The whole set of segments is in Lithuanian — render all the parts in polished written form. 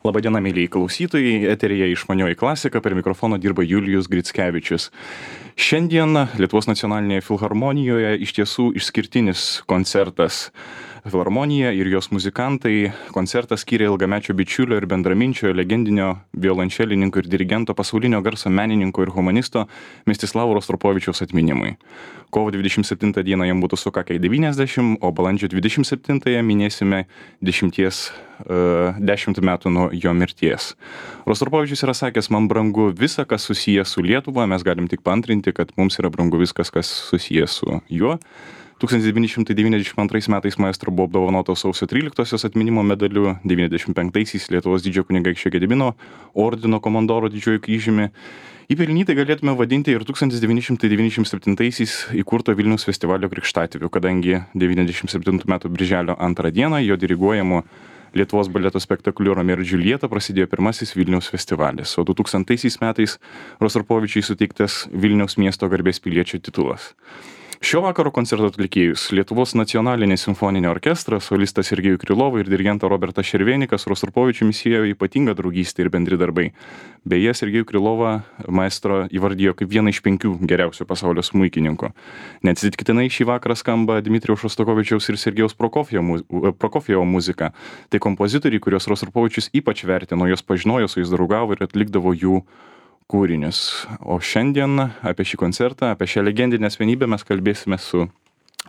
Labadiena, mėlyjei klausytojai, eteryje Išmanioji klasika, per mikrofoną dirba Julijus Grickevičius. Šiandien Lietuvos nacionalinėje filharmonijoje iš tiesų išskirtinis koncertas. Filharmonija ir jos muzikantai koncertą skyrė ilgamečio bičiulio ir bendraminčio, legendinio violončelininko ir dirigento, pasaulinio garso menininko ir humanisto Mstislavo Rostropovičiaus atminimui. Kovo 27 dieną jam būtų sukakę 90, o balandžio 27 minėsime 10 metų nuo jo mirties. Rostropovičius yra sakęs, man brangu visa, kas susijęs su Lietuva, mes galim tik paantrinti, kad mums yra brangu viskas, kas susijęs su juo. 1992 metais maestro buvo apdovanotas sausio 13-osios atminimo medaliu, 95-aisiais Lietuvos didžiojo kunigaikščio Gedimino ordino komandoro didžiojo kryžiumi. Įpelnytai galėtume vadinti ir 1997-aisiais įkurto Vilniaus festivalio krikštatėviu, kadangi 97 metų birželio 2 dieną jo diriguojamu Lietuvos baleto spektakliu Romeo ir Džiuljeta prasidėjo pirmasis Vilniaus festivalis, o 2000 metais Rostropovičiui suteiktas Vilniaus miesto garbės piliečio titulas. Šio vakaro koncerto atlikėjus Lietuvos nacionalinį simfoninį orkestrą, solistas Sergejų Krylovą ir dirigentą Robertą Šervenikas Rostropovičiumi siejo ypatingą draugystę ir bendri darbai. Beje, Sergejų Krylovą maestro įvardijo kaip vieną iš 5 geriausių pasaulio smuikininkų. Neatsitiktinai šį vakarą skamba Dmitrijaus Šostakovičiaus ir Sergejaus Prokofjevo muzika. Tai kompozitoriai, kuriuos Rostropovičius ypač vertino, jos pažinojo, su jais draugavo ir atlikdavo jų kūrinius. O šiandien apie šį koncertą, apie šią legendinę asmenybę mes kalbėsime su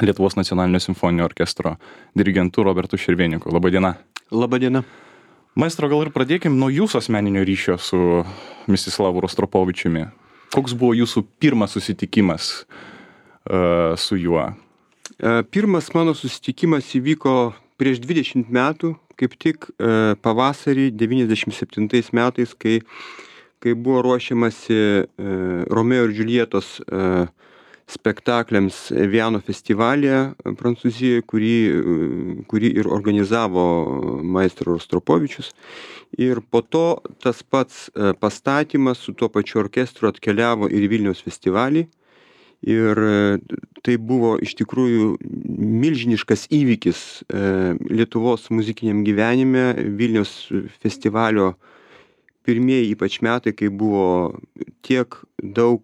Lietuvos nacionalinio simfoninio orkestro dirigentu Robertu Šerveniku. Labadiena. Labadiena. Maestro, gal ir pradėkim nuo jūsų asmeninio ryšio su Mstislavu Rostropovičiumi. Koks buvo jūsų pirmas susitikimas su juo? Pirmas mano susitikimas įvyko prieš 20 metų, kaip tik pavasarį 97 metais, kai buvo ruošiamasi Romeo ir Džiuljetos spektakliams Viano festivalyje Prancūzijoje, kurį ir organizavo maestro Rostropovičius. Ir po to tas pats pastatymas su tuo pačiu orkestru atkeliavo ir į Vilniaus festivalį. Ir tai buvo iš tikrųjų milžiniškas įvykis Lietuvos muzikiniam gyvenime, Vilniaus festivalio pirmieji ypač metai, kai buvo tiek daug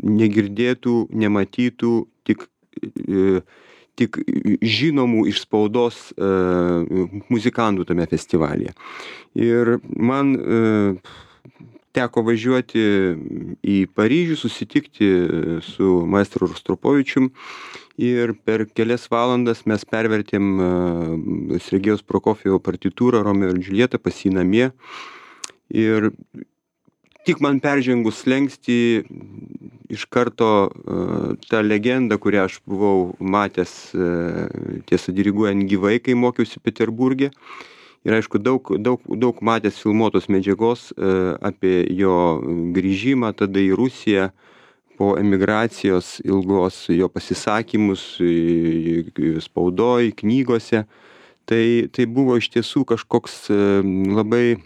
negirdėtų, nematytų, tik žinomų iš spaudos muzikantų tame festivalyje. Ir man teko važiuoti į Paryžių, susitikti su maestro Rostropovičium ir per kelias valandas mes pervertėm Sergejaus Prokofjevo partitūrą Romeo ir Džiuljeta pas jį namie. Ir tik man peržengus slenkstį iš karto ta legenda, kurią aš buvau matęs tiesa diriguojant gyvai, kai mokiausi Peterburge. Ir aišku, daug matęs filmuotos medžiagos apie jo grįžimą tada į Rusiją po emigracijos ilgos, jo pasisakymus spaudoj, knygose. Tai buvo iš tiesų kažkoks labai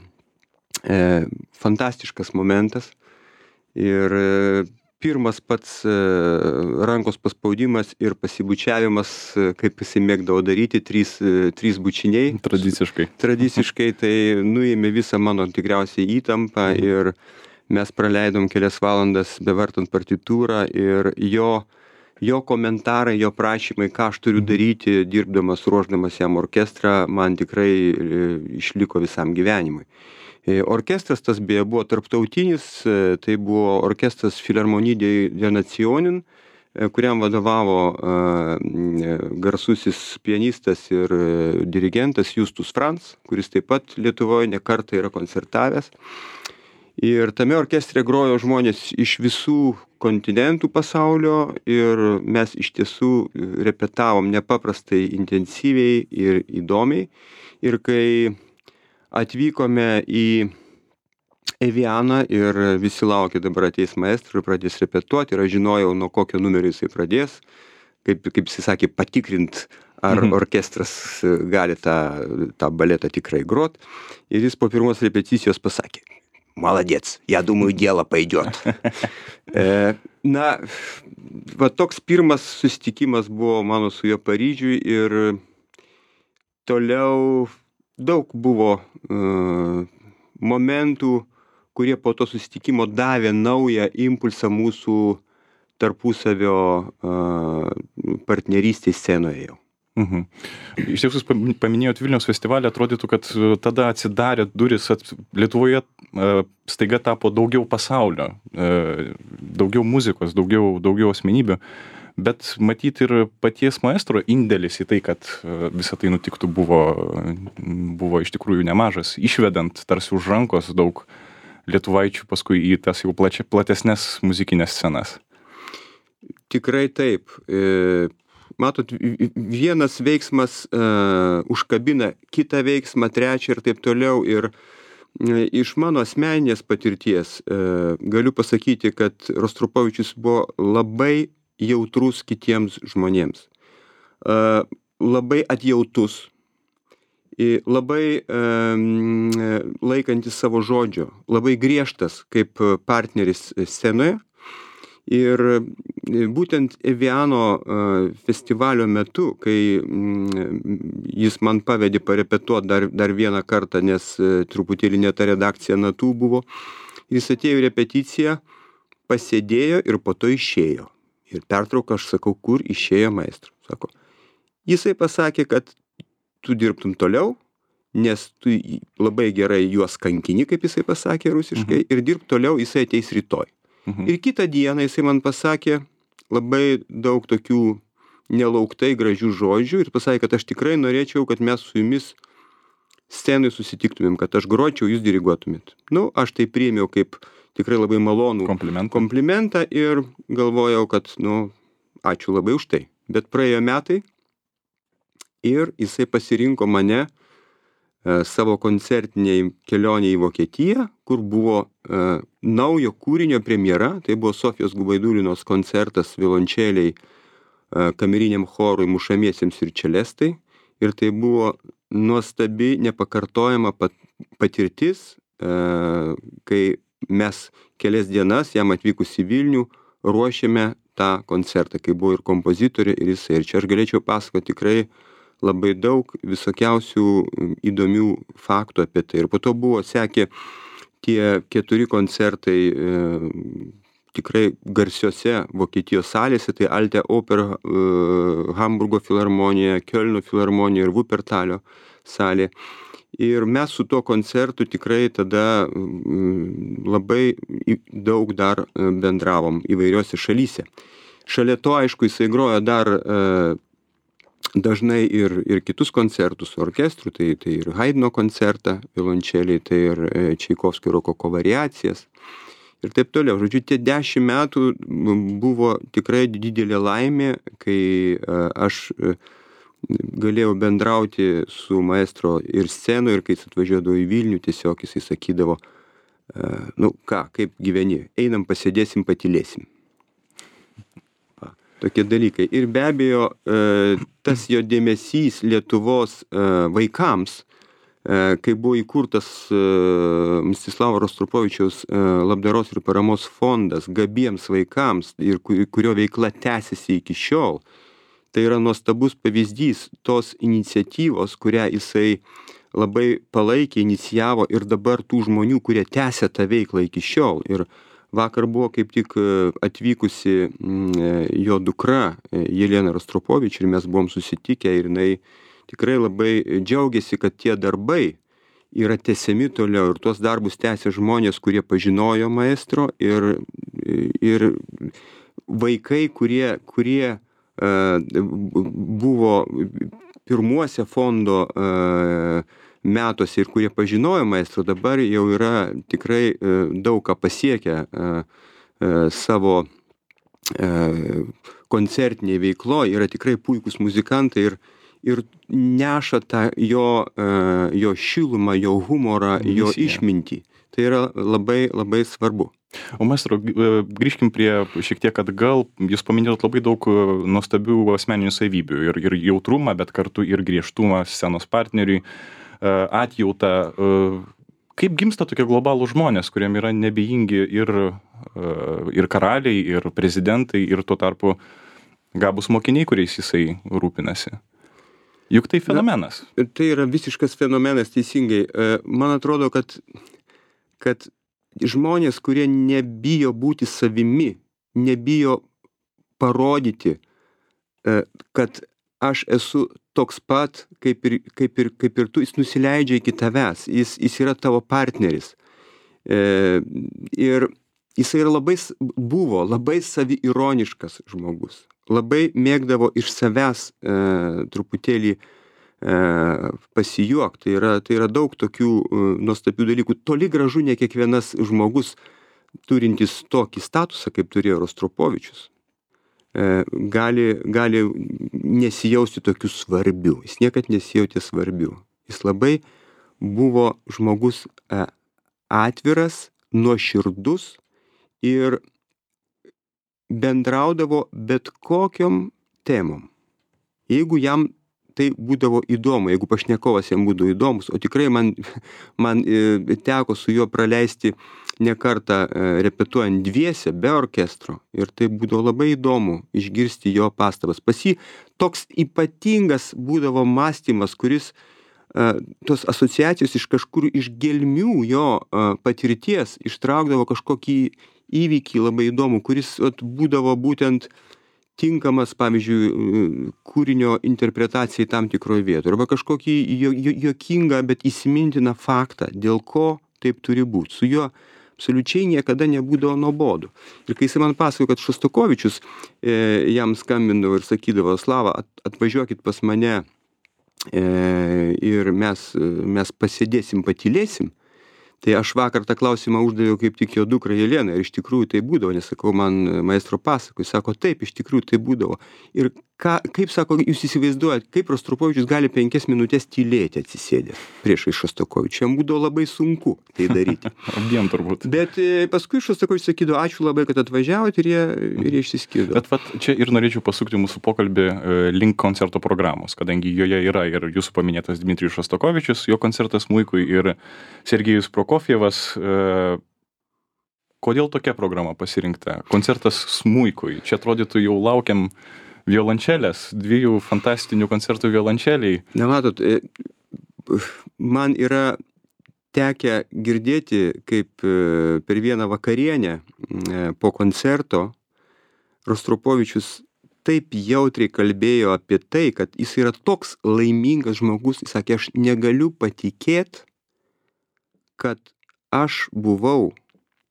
fantastiškas momentas. Ir pirmas pats rankos paspaudimas ir pasibučiavimas, kaip jisai mėgdavo daryti, trys bučiniai. Tradiciškai tai nuėmė visą mano tikriausiai įtampą ir mes praleidom kelias valandas bevartant partitūrą ir jo komentarai, jo prašymai, ką aš turiu daryti, dirbdamas, ruošdamas jam orkestrą, man tikrai išliko visam gyvenimui. Orkestras tas beje buvo tarptautinis, tai buvo orkestras Philharmonie der Nationen, kuriam vadovavo garsusis pianistas ir dirigentas Justus Franz, kuris taip pat Lietuvoje ne kartą yra koncertavęs. Ir tame orkestre grojo žmonės iš visų kontinentų pasaulio ir mes iš tiesų repetavom nepaprastai intensyviai ir įdomiai. Ir kai atvykome į Vianą ir visi laukė, dabar ateis maestro ir pradės repetuoti, ir aš žinojau, nuo kokio numerio jisai pradės, kaip jisai sakė, patikrint, ar orkestras gali tą baletą tikrai grot. Ir jis po pirmos repeticijos pasakė: "Молодец, я думаю, дело пойдет." Na, va toks pirmas susitikimas buvo mano su juo Paryžiuj ir toliau daug buvo momentų, kurie po to susitikimo davė naują impulsą mūsų tarpusavio partnerystės scenoje jau. Iš tiesų, paminėjot Vilniaus festivalį, atrodytų, kad tada atsidarė duris, Lietuvoje staiga tapo daugiau pasaulio, daugiau muzikos, daugiau asmenybių, bet matyt ir paties maestro indėlis į tai, kad visą tai nutiktų, buvo iš tikrųjų nemažas, išvedant tarsi už rankos daug lietuvaičių paskui į tas jau platesnes muzikinės scenas. Tikrai taip. Matot, vienas veiksmas užkabina kitą veiksmą, trečią ir taip toliau. Ir iš mano asmeninės patirties galiu pasakyti, kad Rostropovičius buvo labai jautrus kitiems žmonėms. Labai atjautus, labai laikantis savo žodžio, labai griežtas kaip partneris scenoje. Ir būtent Eviano festivalio metu, kai jis man pavedė parepetuoti dar vieną kartą, nes truputėlį ne ta redakcija natų buvo, jis atėjo į repeticiją, pasėdėjo ir po to išėjo. Ir pertrauką aš sakau, kur išėjo maestro. Sako, jisai pasakė, kad tu dirbtum toliau, nes tu labai gerai juos kankini, kaip jisai pasakė rusiškai, ir dirb toliau, jisai ateis rytoj. Ir kitą dieną jisai man pasakė labai daug tokių nelauktai gražių žodžių ir pasakė, kad aš tikrai norėčiau, kad mes su jumis scenai susitiktumėm, kad aš gročiau, jūs diriguotumėt. Aš tai priėmiau kaip tikrai labai malonų komplimentą ir galvojau, kad, ačiū labai už tai. Bet praėjo metai ir jisai pasirinko mane savo koncertiniai kelionė į Vokietiją, kur buvo naujo kūrinio premjera, tai buvo Sofijos Gubaidulinos koncertas violončeliai kameriniam chorui, mušamiesiems ir čelestai. Ir tai buvo nuostabi, nepakartojama patirtis, kai mes kelias dienas, jam atvykus į Vilnių, ruošėme tą koncertą, kai buvo ir kompozitorė, ir jisai. Ir čia aš galėčiau pasakoti tikrai labai daug visokiausių įdomių faktų apie tai. Ir po to sekė tie 4 koncertai tikrai garsiose Vokietijos salėse, tai Alte Oper, Hamburgo filharmonija, Kiolno filharmonija ir Wuppertalio salė. Ir mes su tuo koncertu tikrai tada labai daug dar bendravom įvairiose šalyse. Šalia to, aišku, jisai grojo dar dažnai ir kitus koncertus su orkestru, tai ir Haidno koncertą, violončeliai, tai ir Čaikovskio rokoko variacijas ir taip toliau. Žodžiu, tie 10 metų buvo tikrai didelė laimė, kai aš galėjau bendrauti su maestro ir scenoje, ir kai jis atvažiuodavo į Vilnių, tiesiog jisai sakydavo, kaip gyveni, einam pasėdėsim, patylėsim. Tokie dalykai. Ir be abejo, tas jo dėmesys Lietuvos vaikams, kai buvo įkurtas Mstislavo Rostropovičiaus labdaros ir paramos fondas gabiems vaikams, ir kurio veikla tęsiasi iki šiol, tai yra nuostabus pavyzdys tos iniciatyvos, kurią jisai labai palaikė, inicijavo, ir dabar tų žmonių, kurie tęsia tą veiklą iki šiol. Ir vakar buvo kaip tik atvykusi jo dukra Jelena Rostropovič ir mes buvom susitikę ir jinai tikrai labai džiaugiasi, kad tie darbai yra tęsiami toliau ir tuos darbus tęsia žmonės, kurie pažinojo maestro ir vaikai, kurie buvo pirmuose fondo metuose ir kurie pažinojo maestro, dabar jau yra tikrai daug ką pasiekę savo koncertinėje veikloje, yra tikrai puikūs muzikantai ir neša tą jo šilumą, jo humorą, jo išmintį. Tai yra labai, labai svarbu. O maestro, grįžkim prie šiek tiek atgal. Jūs paminėjot labai daug nuostabių asmeninių savybių ir jautrumą, bet kartu ir griežtumą scenos partneriui, atjautą. Kaip gimsta tokie globalų žmonės, kuriem yra nebejingi ir karaliai, ir prezidentai, ir tuo tarpu gabūs mokiniai, kuriais jisai rūpinasi? Juk tai fenomenas. Tai yra visiškas fenomenas, teisingai. Man atrodo, kad žmonės, kurie nebijo būti savimi, nebijo parodyti, kad aš esu toks pat, kaip ir tu, jis nusileidžia iki tavęs, jis yra tavo partneris. Ir jisai buvo labai saviironiškas žmogus. Labai mėgdavo iš savęs truputėlį pasijuokti. Tai yra daug tokių nuostabių dalykų. Toli gražu ne kiekvienas žmogus, turintis tokį statusą, kaip turėjo Rostropovičius, gali nesijausti tokiu svarbiu. Jis niekad nesijautė svarbiu. Jis labai buvo žmogus atviras, nuoširdus ir bendraudavo bet kokiom temom. Jeigu jam tai būdavo įdomu, jeigu pašnekovas jam būdavo įdomus, o tikrai man teko su juo praleisti ne kartą repetuojant dviese, be orkestro, ir tai būdavo labai įdomu išgirsti jo pastabas. Pas jį toks ypatingas būdavo mąstymas, kuris tos asociacijos iš kažkur iš gelmių jo patirties ištraukdavo kažkokį įvykį labai įdomų, kuris būdavo būtent tinkamas, pavyzdžiui, kūrinio interpretacijai tam tikroje vietoje, arba kažkokį juokingą, bet įsimintiną faktą, dėl ko taip turi būti. Su juo absoliučiai niekada nebūdavo nuobodu. Ir kai jis man pasakojo, kad Šostakovičius jam skambindavo ir sakydavo: Slava, atvažiuokit pas mane ir mes pasėdėsim, patylėsim. Tai aš vakar tą klausimą uždaviau kaip tik jo dukrai Jelenai, ir iš tikrųjų tai būdavo, nes sakau, man maestro pasakoja, sako, taip, iš tikrųjų tai būdavo. Ir kaip sako, jūs įsivaizduojat, kaip Rostropovičius gali 5 minutės tylėti atsisėdęs priešais Šostakovičių. Jam būdavo labai sunku tai daryti. Abiem turbūt. Bet paskui Šostakovičius sakydavo, ačiū labai, kad atvažiavot, ir jie išsiskirdo. Bet vat, čia ir norėčiau pasukti mūsų pokalbį link koncerto programos, kadangi joje yra ir jūsų paminėtas Dmitrijus Šostakovičius, jo koncertas smuikui, ir Sergejus Prokofjevas. Kodėl tokia programa pasirinkta? Koncertas smuikui. Čia atrodytų jau laukiam violončelės, 2 fantastinių koncertų violončeliai. Na, matot, man yra tekę girdėti, kaip per vieną vakarienę po koncerto Rostropovičius taip jautriai kalbėjo apie tai, kad jis yra toks laimingas žmogus. Jis sakė, aš negaliu patikėti, kad aš buvau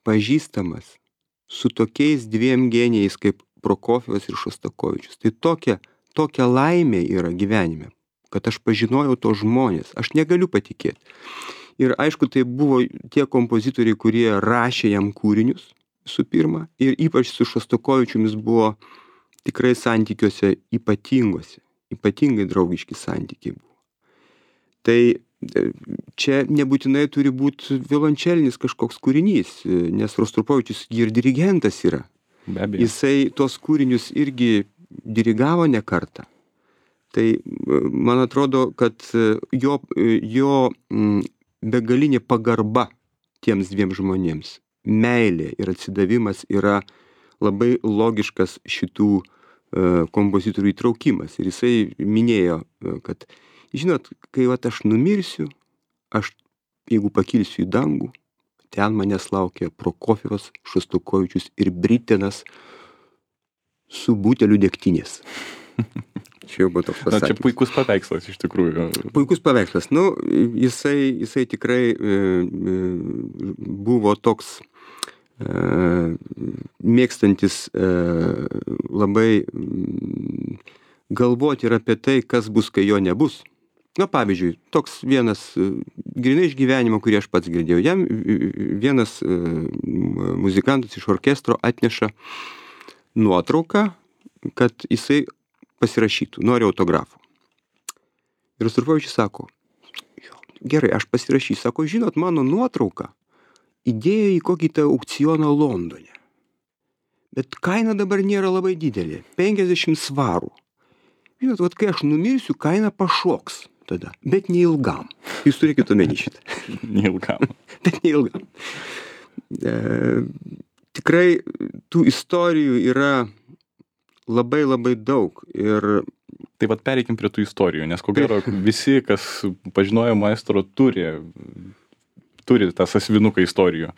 pažįstamas su tokiais 2 genijais kaip Prokofjevas ir Šostakovičius. Tai tokia laimė yra gyvenime, kad aš pažinojau to žmonės. Aš negaliu patikėti. Ir aišku, tai buvo tie kompozitoriai, kurie rašė jam kūrinius, visų pirma, ir ypač su Šostakovičiumis buvo tikrai santykiuose ypatingai draugiški santykiai buvo. Tai čia nebūtinai turi būti violončelinis kažkoks kūrinys, nes Rostropovičius ir dirigentas yra. Be abejo. Jisai tos kūrinius irgi dirigavo ne kartą. Tai man atrodo, kad jo begalinė pagarba tiems 2 žmonėms, meilė ir atsidavimas yra labai logiškas šitų kompozitorių įtraukimas. Ir jisai minėjo, kad, žinot, kai aš numirsiu, jeigu pakilsiu į dangų, ten manęs laukia Prokofjevas, Šostakovičius ir Britenas su buteliu degtinės. Čia jau buvo toks pasakymas. Čia puikus paveikslas, iš tikrųjų. Puikus paveikslas. Nu, jisai tikrai buvo toks mėgstantis labai galvoti ir apie tai, kas bus, kai jo nebus. Na, pavyzdžiui, toks vienas grynai iš gyvenimo, kurį aš pats girdėjau. Jam vienas muzikantas iš orkestro atneša nuotrauką, kad jisai pasirašytų, nori autografų. Ir Rostropovičius sako, gerai, aš pasirašysiu. Sako, žinot, mano nuotrauką įdėjo į kokį tą aukcioną Londone. Bet kaina dabar nėra labai didelė, 50 svarų. Žinot, kai aš numirsiu, kaina pašoks tada, bet neilgam. Jūs turėkit omeny šitą. Neilgam. Bet neilgam. Tikrai tų istorijų yra labai daug. Ir Tai vat pereikim prie tų istorijų, nes ko gero visi, kas pažinojo maestro, turi tą sąsiuvinuką istorijų,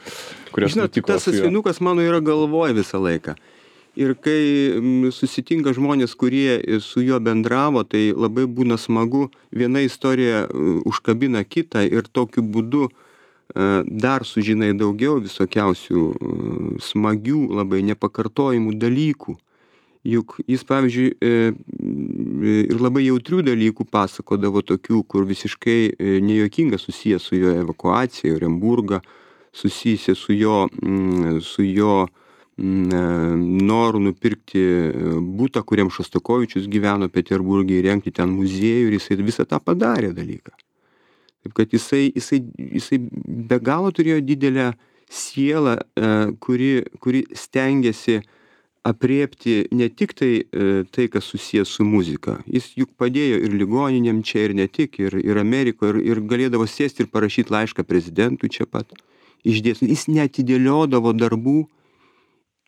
kurios nutiko. Tas sąsiuvinukas mano yra galvoje visą laiką. Ir kai susitinka žmonės, kurie su juo bendravo, tai labai būna smagu, viena istorija užkabina kitą ir tokiu būdu dar sužinai daugiau visokiausių smagių, labai nepakartojimų dalykų. Juk jis, pavyzdžiui, ir labai jautrių dalykų pasakodavo tokių, kur visiškai nejuokinga susijęs su jo evakuacija, Oremburgą, susijęs su jo noru nupirkti butą, kuriam Šostakovičius gyveno Peterburge, įrengti ten muziejų, ir jisai visą tą padarė dalyką. Taip kad jisai be galo turėjo didelę sielą, kuri stengiasi apriepti ne tik tai, kas susijęs su muzika. Jis juk padėjo ir ligoninėm čia, ir ne tik, ir Amerikoje, ir galėdavo sėsti ir parašyti laišką prezidentui čia pat. Išdėstinti. Jis neatidėliodavo darbų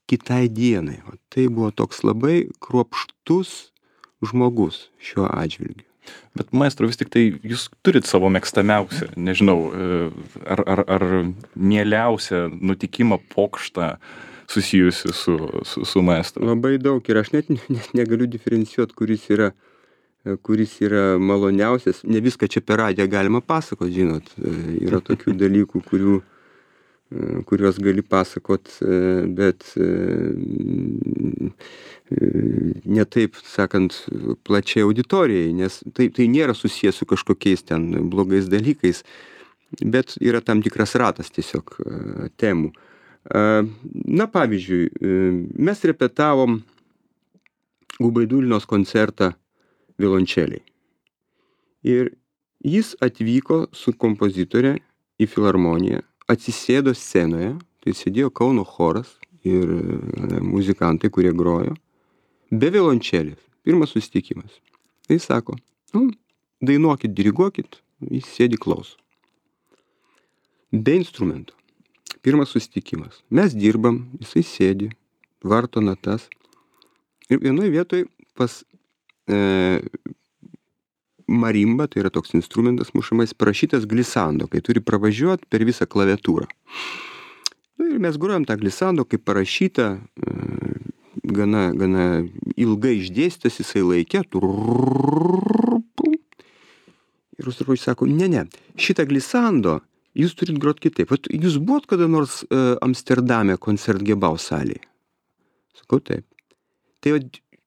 kitai dienai. O tai buvo toks labai kruopštus žmogus šiuo atžvilgiu. Bet maestro, vis tik tai jūs turit savo mėgstamiausią, nežinau, ar mieliausią nutikimą, pokštą susijusi su maestro? Labai daug ir aš net negaliu diferencijuoti, kuris yra maloniausias. Ne viską čia per radiją galima pasakot, žinot. Yra tokių dalykų, kuriuos gali pasakot, bet ne taip, sakant, plačiai auditorijai, nes tai nėra susijęs su kažkokiais ten blogais dalykais, bet yra tam tikras ratas tiesiog temų. Na, pavyzdžiui, mes repetavom Gubaidulinos koncertą violončeliai. Ir jis atvyko su kompozitorė į filharmoniją, atsisėdo scenoje, tai sėdėjo Kauno choras ir muzikantai, kurie grojo, be violončelės. Pirmas susitikimas. Tai sako, dainuokit, diriguokit, jis sėdi klauso. Be instrumento. Pirmas susitikimas. Mes dirbam, jisai sėdi, varto natas. Ir vienoje vietoje pas marimba, tai yra toks instrumentas mušamais, parašytas glisando, kai turi pravažiuoti per visą klaviatūrą. Ir mes grojam tą glisando, kaip parašyta, gana ilgai išdėstytas, jisai laikė. Ir Rostropovičius sako, ne, šitą glisando jūs turit grot kitaip. Vat jūs buvot kada nors Amsterdame koncertgebau salėje? Sakau, taip. Tai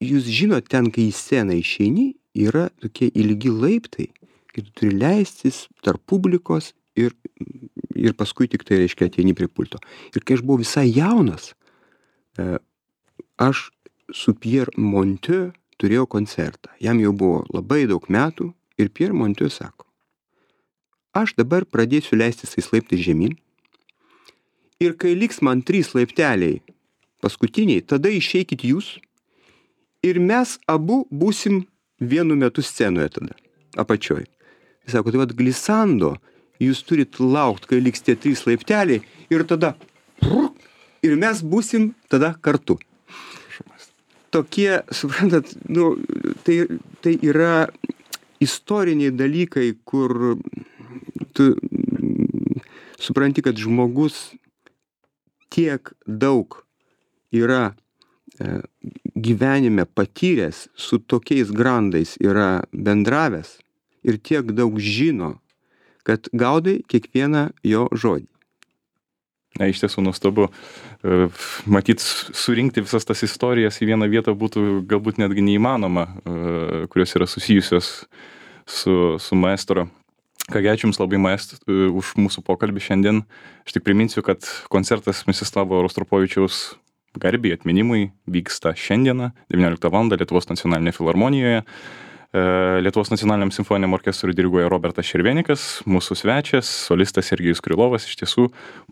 jūs žinot, ten, kai į sceną išeini, yra tokie ilgi laiptai, kai tu turi leistis tarp publikos ir paskui tik tai, reiškia, ateini prie pulto. Ir kai aš buvau visai jaunas, aš su Pierre Monteux turėjau koncertą. Jam jau buvo labai daug metų ir Pierre Monteux sako, aš dabar pradėsiu leistis tais laiptais žemyn ir kai liks man 3 laipteliai paskutiniai, tada išeikit jūs ir mes abu būsim vienu metu scenoje tada, apačioj. Jis sako, tai vat glisando jūs turit laukt, kai liks tie 3 laipteliai ir tada ir mes būsim tada kartu. Tokie, suprantat, tai yra istoriniai dalykai, kur tu supranti, kad žmogus tiek daug yra gyvenime patyręs, su tokiais grandais yra bendravęs ir tiek daug žino, kad gaudai kiekvieną jo žodį. Na, iš tiesų nuostabu. Matyt, surinkti visas tas istorijas į vieną vietą būtų galbūt netgi neįmanoma, kurios yra susijusios su maestro. Kągi, ačiū Jums labai, maestro, už mūsų pokalbį šiandien. Aš tik priminsiu, kad koncertas Mstislavo Rostropovičiaus garbei atminimui vyksta šiandieną 19 val. Lietuvos nacionalinėje filharmonijoje. Lietuvos nacionaliniam simfoniniam orkestrui diriguoja Robertas Šervenikas, mūsų svečias, solistas Sergejus Krylovas. Iš tiesų,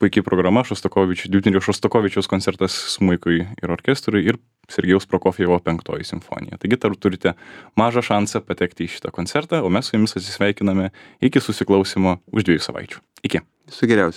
puikiai programa, Dmitrijaus Šostakovičiaus koncertas smuikui ir orkestrui ir Sergejaus Prokofjevo 5 simfonija. Taigi, turite mažą šansą patekti į šitą koncertą, o mes su Jumis atsisveikiname iki susiklausimo už 2 savaičių. Iki. Viso geriausio.